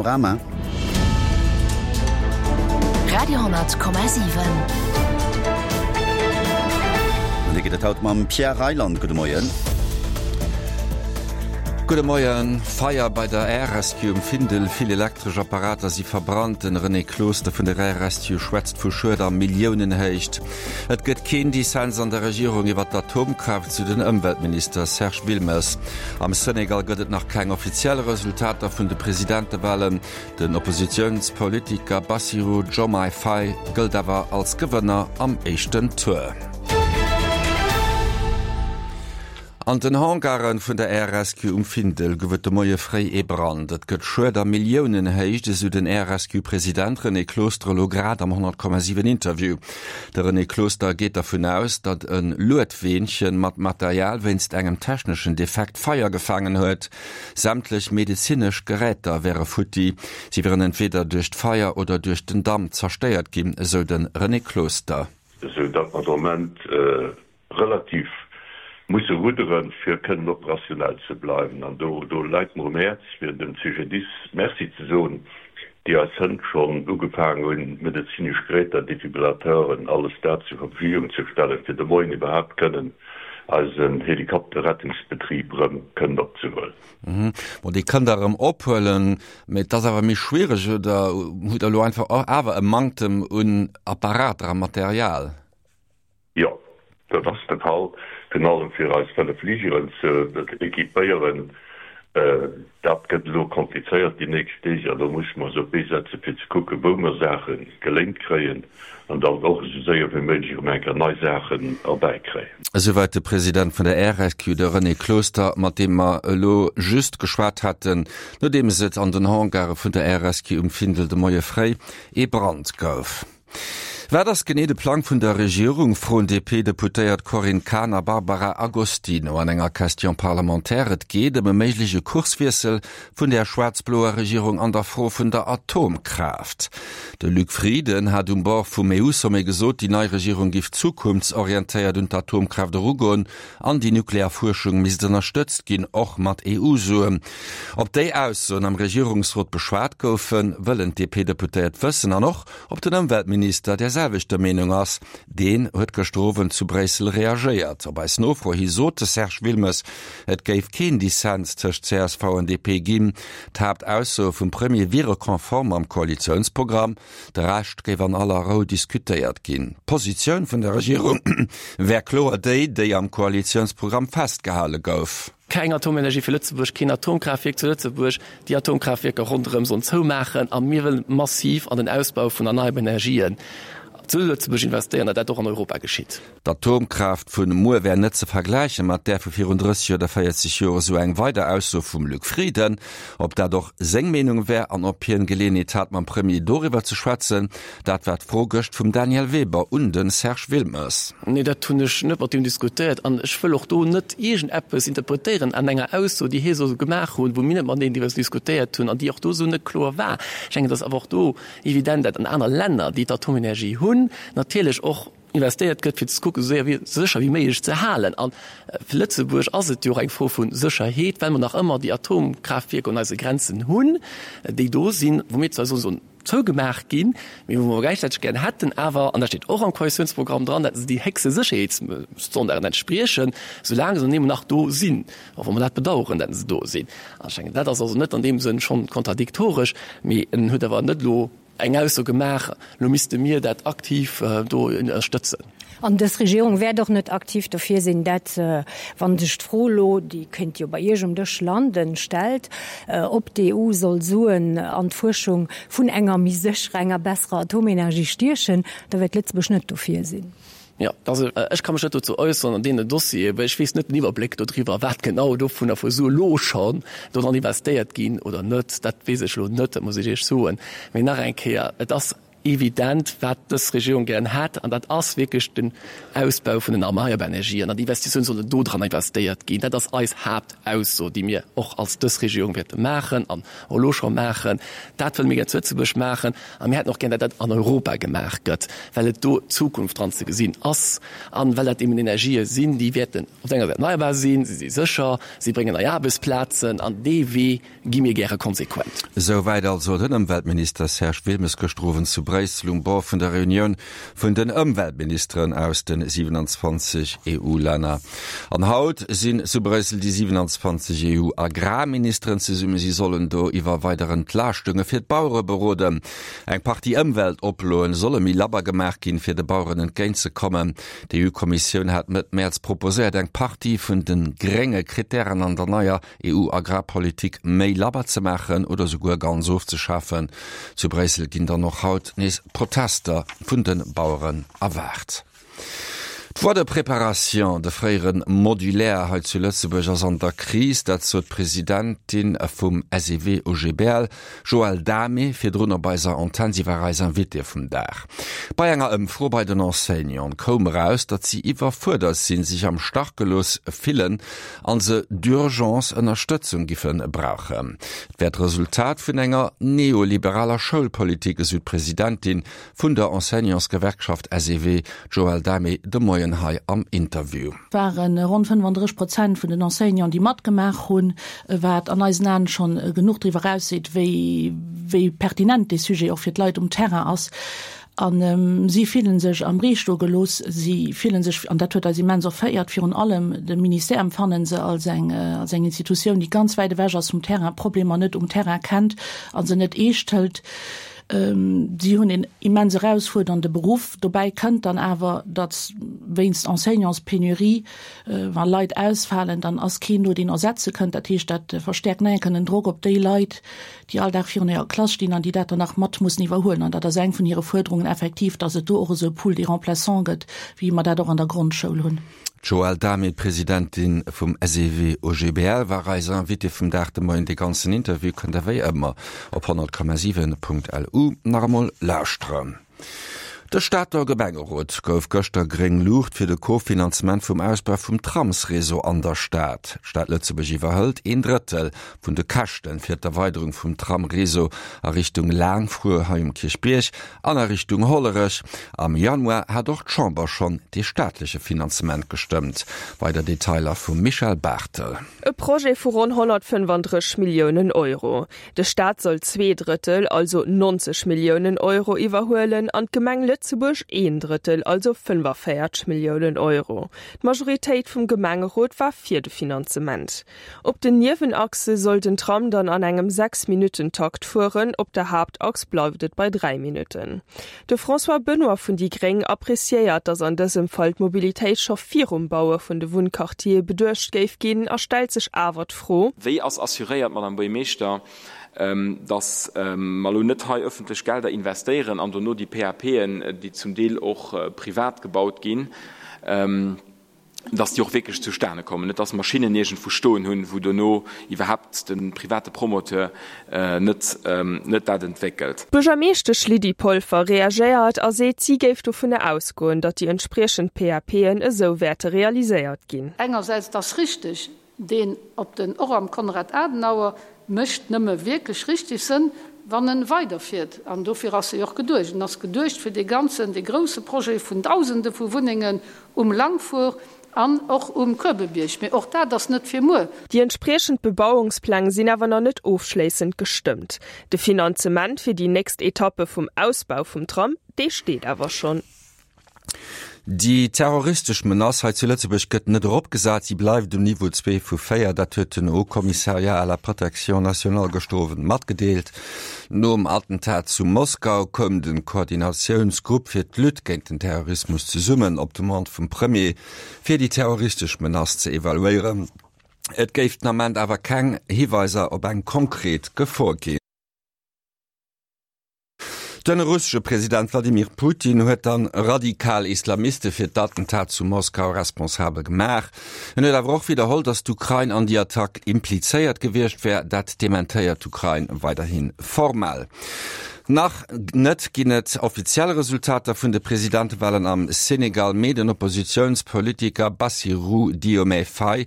Panorama. Radio,7. An dee gëtt et haut mam Pierre Reyland. Gudde Moien. Gudde Moien. Feier bei der Air Rescue um Findel, vill elektresch Apparater si verbrannt. Den René Closter vun der Air Rescue schwätzt vu Schued a Milliounenhéicht. Et gëtt keen Dissens an der Regierung iwwer d'Atomkraaft, sou den Ëmweltminister Serge Wilmes. Am Senegal gëtt et nach keng offiziell Resultater vun de Presidentewalen. Den Oppositiounspolitiker Bassirou Diomaye Faye gëllt awer als Gewënner am éischten Tour. An den Hangaren vun der Air Rescue um Findel gouf et de Moie fréi ee Brand. Et gëtt Schued a Milliounenhéicht, esou den Air Rescue President René Closter elo grad am 100,7 Interview. De René Closter geet dervun aus, datt e Luedweenchen mat Material wéinst engem techneschen Defekt Feier gefaangen huet. Sämtlech medezinesch Geräter wäre futti. Si wieren entweder duerch d'Feier oder duerch den Damp zerstéiert ginn, esou de René Closter. Esou datt mer de Moment relativ musse rudderen, fir kënnen operationell ze bleiwen. An do do läit mer um Häerz, fir dem CGDIS Merci ze soen, déi eis hënt schonn ugefaangen hunn, medezinesch Geräter, Defibrillateuren, alles dat zur Verfügung ze stellen, fir de Moien iwwerhaapt kënnen eisen Helikopterrettungsbetrib erëm kënnen opzehuelen. Bon, dee kënnt Der erëm ophuelen, mä et ass awer méi schwiereg, oder hutt Der elo einfach awer e Manktem un Apparater a Material? Jo, dat ass de Fall, virun allem fir eis 5 Fligeren ze equipéieren. Dat gëtt elo komplizéiert déi nächst Deeg an do musse mer eis op d'Bee setzen, fir ze kucken, wou mer Saache geléint kréien an dann och esou séier wéi méiglech erëm eng Kéier nei Saachen erbäikréien. Esouwäit de President vun der RSQ, de René Closter, mat deem mer elo just geschwat haten, nodeems et an den Hangare vun der RSQ um Findel de Moie fréi ee Brand gouf. Wat ass genee de Plang vun der Regierung, froen DP-Deputéiert Corinne Cahen a Barbara Agostino an enger Question parlementaire. Et geet ëm e méigleche Kurswiessel vun der schwaarz-bloer Regierung an der Fro vun der Atomkraaft. De Luc Frieden hat um Bord vum EU-Sommet gesot, déi nei Regierung giff zukunftsorientéiert un d'Atomkraaft erugoen an déi nuklear Fuerschung misst ënnerstëtzt ginn, och mat EU-Suen. Ob déi Aussoen am Regierungsrot beschwat goufen, wëllen d'DP-Deputéiert wëssen an och, ob den Ëmweltminister där selwechter Meenung ass. Deen huet gëschter Owend zu Bréissel reagéiert. Op eis Nofro hi sot de Serge Wilmes, et géif keen Dissens tëscht csv an DP ginn. D'Haaptaussoe vum Premier wiere konform mam Koalitiounsprogramm. De Rescht géif an aller Rou diskutéiert ginn. D'Positioun vun der Regierung wär kloer déi, déi am Koalitiounsprogramm festgehale gouf. Keng Atomenergie fir Lëtzebuerg, keen Atomkraaftwierk zu Lëtzebuerg, déi Atomkraaftwierker ronderëm sollen zoumaachen a mir wëllen massiv an den Ausbau vun erneierbaren Energien zu Lëtzebuerg investéieren, datt dat och an Europa geschitt. D'Atomkraaft vun muer wär net ze vergläiche mat där vu virun 30 oder 40 Joer, esou eng weider Ausso vum Luc Frieden. Ob dat och seng Meenung wär an ob hien Geleeënheet hat mam Premier doriwwer ze schwätzen, dat war d'Fro gëscht vum Daniel Weber un de Serge Wilmes. Nee, dat hunn ech net mat him diskutéiert an ech wëll och do net iergendeppes interpretéieren an enger Ausso, déi hie soll gemaach hunn, wou mir net mateneen driwwer diskutéiert hunn an déi och do esou net kloer war. Ech mengen, et ass awer och do evident, dat an aner Länner, déi d'Atomenergie hunn, natierlech och investéiert gëtt, fir ze kucken, esou séier wéi, sécher wéi méiglech ze halen. A fir Lëtzebuerg ass et jo och eng Fro vu Sécherheet, well mer nach ëmmer déi Atomkraaftwierker un eise Grenzen hunn, déi do sinn, wou mir zwar soen, sollen zougemaach ginn, mee wou mer gläichzäiteg gären hätten awer, an dat steet och am Koalitiounsprogramm dran, datt se déi héchste Sécherheetsstandarden entspriechen, soulaang se dann eben nach do sinn, och wa mer dat bedauern, datt se do sinn. An ech denken, dat ass also net an deem Sënn schonn kontradiktoresch, mee en huet awer net elo eng Ausso gemaach, elo misste mir dat aktiv do ënnerstëtzen. An dës Regierung wäert och net aktiv dofir sinn, dat, wa sech d'Fro elo, déi kéint jo bei Iech um Dësch landen, stellt, ob d'EU soll Suen an d'Fuerschung vun enger méi sécherer, enger besserer Atomenergie stiechen, da wäert Lëtzebuerg net dofir sinn. Jo, also ech ka mech net dozou äusseren an deenen Dossieren, well ech weess net den Iwwerbléck dodriwwer, wat genau dovunner vu Sue elo schonn dodran investéiert ginn oder net. Dat weess ech elo net, dat muss ech Iech soen. Mee nach eng Kéier, et ass. Evident, wat dës Regierung gären hätt, an dat ass wierklech den Ausbau vun den erneierbaren Energien, an d'Investitioune sollen do dran investéiert ginn. Dat ass eis Haaptausso, déi mir och als dës Regierung wäerte maachen an och elo scho maachen. Dat wëlle mir gär zu Lëtzebuerg maachen a mir hätten och gär, datt dat an Europa gemaach gëtt, well et do d'Zukunft dran ze gesinn ass a well dat eben Energië sinn, déi wäerten op der enger Säit erneierbar sinn, se si sécher, si bréngen nei Aarbechtsplazen an dee Wee gi mir gäre konsequent. Esouwäit also den Ëmweltminister Serge Wilmes gëschter Owend zu Bréissel um Bord vun der Reunioun vun den Ëmweltministeren aus de 27 EU-Länner. An haut sinn zu Bréissel déi 27 EU-Agrarministeren zesummen. Si sollen do iwwer weider Entlaaschtunge fir d'Bauere beroden. Eng Partie Ëmweltoploen solle méi labber gemaach ginn, fir de Baueren entgéint ze kommen. D'EU-Kommissioun hat Mëtt Mäerz proposéiert, eng Partie vun de grénge Krittären an der neier EU-Agrarpolitik méi labber ze maachen oder souguer ganz ofzeschafen. Zu Bréissel ginn dann och haut nees Protester vun de Baueren erwaart. D'Voie de préparation, de fréiere Modulaire hei zu Lëtzebuerg, ass an der Kris. Dat sot d'Presidentin vum SEW OGBL, Joëlle Damé, virdrun op eiser Antenn. Si war eis Invitée vum Dag. Bei enger Ëmfro bei den Enseignanten koum eraus, datt si iwwerfuerdert sinn, sech am Stach gelooss fillen an se d'urgence Ënnerstëtzung giffe brauchen. Et wär d'Resultat vun enger neoliberaler Schoulpolitik, esou d'Presidentin vun der Enseignantsgewerkschaft SEW, d'Joëlle Damé, de Moien hei am Interview. Et ware ronn 35 Prozent vun den Enseignanten, déi matgemaach hunn, wat an eisen Aen schonn genuch driwwer erausseet, wéi pertinent dee Sujet och fir d'Leit um Terrain ass. A si fillen sech am Ree stoe gelooss. Si fillen sech, an dat huet eis immens erféiert, virun allem de Ministère empfannen se als eng, als eng Institutioun, déi ganz wäit ewech ass vum Terrain, Problemer net um Terrain kennt a se net eescht hëlt. Si hunn een immens erausfuerdernde Beruff. Dobäi kënnt dann awer, datt wéinst Enseignantspenurie, wa Leit ausfalen, dann ass keen do, deen ersetze kënnt. Dat heescht, dat verstäerkt nach eng Kéier den Drock op déi Leit, déi all Dag virun hirer Klass stinn an déi dat dann nach mat mussen iwwerhuelen. An dat ass eng vun hire Fuerderungen effektiv, dass et do och esou e Pool des remplaçants gëtt, wéi mer dat och an der Grondschoul hunn. D'Joëlle Damé, Presidentin vum SEW OGBL, war eis Invitée vum Dag de Moien. Dee ganzen Interview kënnt der wéi ëmmer op 100,7.lu nach emol lauschteren. De Stater Gemengerot gouf gëschter gréng Luucht fir de Co-Finanzement vum Ausbau vum Tramsreseau an der Stad. D'Stad Lëtzebuerg iwwerhëlt een Drëttel vun de Käschte fir d'Erweiderung vum Tramreseau a Richtung Laangfruer hei um Kierchbierg an a Richtung Hollerech. Am Januar hat och d'Chamber schonn dee staatleche Finanzement gestëmmt. Weider Detailer vum Michèle Barthel. E Projet vu ronn 135 Milliounen Euro. De Staat soll zweeDrëttel, also 90 Milliounen Euro iwwerhuelen an d'Gemeng Lëtzebuerg een Drëttel, also 45 Milliounen Euro. D'Majoritéit vum Gemengerot war fir de Finanzement. Op den Niewenachse soll den Tram dann an engem 6 Minutten-Takt fueren, op der Haaptachs bleift et bei 3 Minutten. De François Benoy vun déi gréng appreciéiert, datt an dësem Fall d'Mobilitéit scho virum Baue vun de Wunnquartiere beduecht géif ginn a stellt sech awer d'Fro, Wéi ass assuréiert, Madame Buergermeeschter, datt mer elo net hei öffentlech Gelder investéieren an dono déi PAPen, déi zum Deel och privat gebaut ginn, dass déi och wierklech zustane kommen, net dass Maschinnen iergendwou stoen hunn, wou dono iwwerhaapt de private Promoteur net net dat entwéckelt. D'Buergermeeschtesch Lydie Polfer reagéiert a seet, si géif dovunner ausgoen, datt déi entspriechend PAPen esou wäerte realiséiert ginn. Engersäits, et ass richteg, Deen op den och am Konrad Adenauer mécht nëmme wierklech richtig Sënn, wann en weiderfiert. An dofir ass e jo och geduecht. En ass geduecht fir dee ganzen, dee grouse Projet vun Dausende vu Wunnengen um Langfuhr an och um Kuebebierg. Mee och dat ass net fir muer. Déi entspriechend Bebauungspläng sinn awer nach net ofschléissend gestëmmt. De Finanzement fir déi nächst Etappe vum Ausbau vum Tram, dee steet awer schonn. Déi terroristesch Menace hei zu Lëtzebuerg gëtt net eropgesat, si bleift um Niveau 2 vu 4. Dat huet den Haut Commissariat à la protection nationale gëschter Owend matgedeelt. Nom Attentat zu Moskau koum de Koordinatiounsgrupp fir d'Lutte géint den Terrorismus zesummen, op Demande vum Premier, fir déi terroristesch Menace ze evaluéieren. Et géif den Ament awer keng Hiweiser op eng konkret Gefor ginn. Den russesche President Wladimir Putin huet dann radikal Islamiste fir d'Attentat zu Moskau responsabel gemaach. En huet awer och widderholl, datt d'Ukrain an déi Attack implizéiert gewiescht wär. Dat dementéiert d'Ukrain weiderhi formell. Nach net ginn et offiziell Resultater vun de Presidentewalen am Senegal, mee den Oppositiounspolitiker Bassirou Diomaye Faye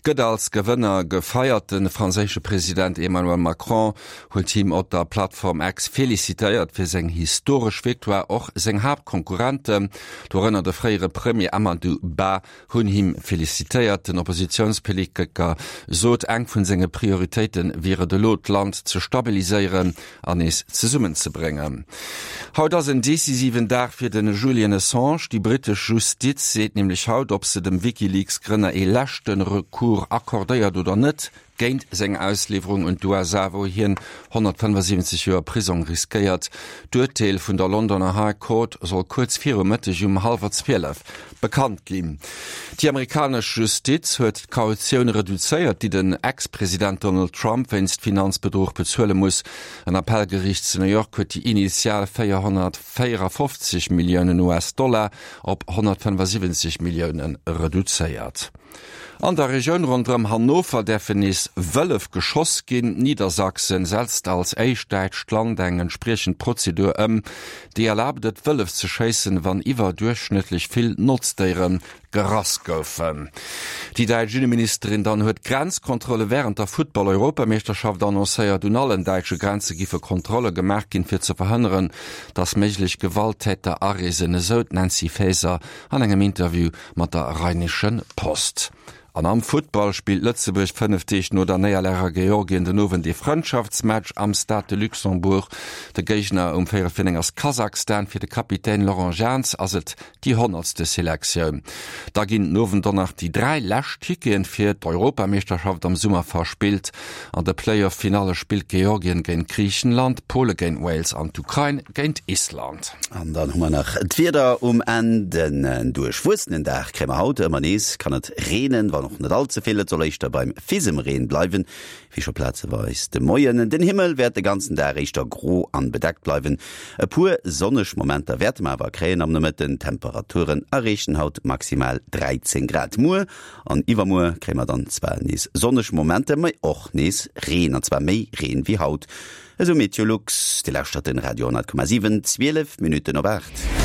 gëtt als Gewënner gefeiert. De franséische President Emmanuel Macron huet him op der Plattform X felicitéiert fir seng historesch Victoire. Och seng Haaptkonkurrenten, dorënner de fréiere Premier Amadou Ba, hunn him felicitéiert. Den Oppositiounspolitiker sot, eng vun senge Prioritéite wier et elo, d'Land ze stabiliséieren an nees zesummenzebréngen. Haut ass en decisiven Dag fir de Julian Assange. Déi brittesch Justiz seet nämlech haut, ob se dem WikiLeaks-Grënner ee leschte Recours accordéiert oder net. Géint seng Ausliwwerung un d'USA, wou hien 175 Joer Prisong riskéiert. D'Urteel vun der Londoner High Court soll kuerz viru Mëtteg um hallwer 12 bekannt ginn. Déi amerikanesch Justiz huet d'Kautioun reduzéiert, déi den Ex-President Donald Trump wéinst Finanzbedruch bezuele muss. En Appellgeriicht zu New York huet déi initial 454 Milliounen US-Dollar op 175 Millioune reduzéiert. An der Regioun ronderëm Hannover däerfen nees Wëllef geschoss ginn. Niedersachsen setzt als éischt däitscht Land eng entspriechend Prozedur ëm, déi erlaabt et, Wëllef ze schéissen, wann iwwerduerchschnëttlech vill Notzdéiere gerass goufen. Déi däitsch Inneministerin dann huet Grenzkontrolle wärend der Futtball-Europameeschterschaft annoncéiert. Un allen däitsche Grenze giffe Kontrolle gemaach ginn, fir ze verhënneren, datt méiglech Gewalttäter areesen, esou d'Nancy Faeser an engem Interview mat der Rheinischen Post. An am Futtball spillt Lëtzebuerg 5 Deeg no der Néierlag a Georgien den Owend ee Frëndschaftsmatch am Stade de Luxembourg. De Géigner um véierel vir 9 ass Kasachstan. Fir de Kapitän Laurent Jans ass et déi honnertste Selektioun. Da ginn den Owend och nach déi 3 lescht Ticketen fir d'Europameeschterschaft am Summer verspillt. An de Playoff-Finalle spillt Georgien géint Griichenland, Pole géint Wales an d'Ukrain géint Island. An dann hu mer nach d'Wieder um Enn. Den duerchwuessenen Dag kréie mer haut. Ëmmer nees kann et reenen, wann och net all ze vill. Et soll éischter beim Fisemreen bleiwen, wéi scho plazeweis de Moien. Den Himmel wäert de ganzen Dag éischter gro an bedeckt bleiwen. E puer sonneg Momenter wäerte mer awer kréien am Nomëtten. D'Temperaturen erreechen haut maximal 13 Grad. Muer an iwwermuer kréie mer dann zwar nees sonneg Momenter, mee och nees Reen, an zwar méi Reen wéi haut. Esou Meteolux. Dir lauschtert den Radio 10,7, 12 Minutten op 8.